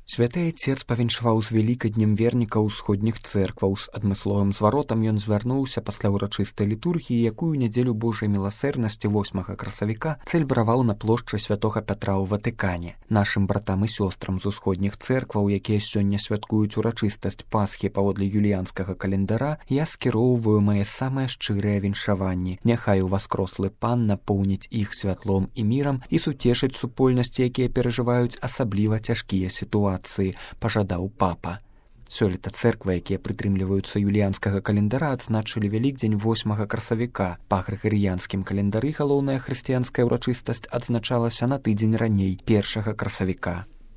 Святы Айцец павіншаваў з вялікаднем вернікаў усходніх цэркваў. З адмысловым зваротам ён звярнуўся пасля ўрачыстай літургіі, якую нядзелю Божай міласэрнасці 8 красавіка цэльбраваў на плошчы святога Пятра ў Ватыкане. Нашым братам і сёстрам з усходніх цэркваў, якія сёння святкуюць урачыстасць Пасхі паводле юліянскага календара, я скіроўваю мае самыя шчырыя віншаванні. Няхай уваскрослы Пан напоўніць іх святлом і мірам і суцешыць супольнасці, якія перажываюць асабліва цяжкія сітуацыі, пажадаў папа. Сёлета цэрквы, якія прытрымліваюцца юліянскага календара, адзначылі Вялікдзень 8 красавіка. Па грыгарыянскім календары галоўная хрысціянская ўрачыстасць адзначалася на тыдзень раней, 1 красавіка.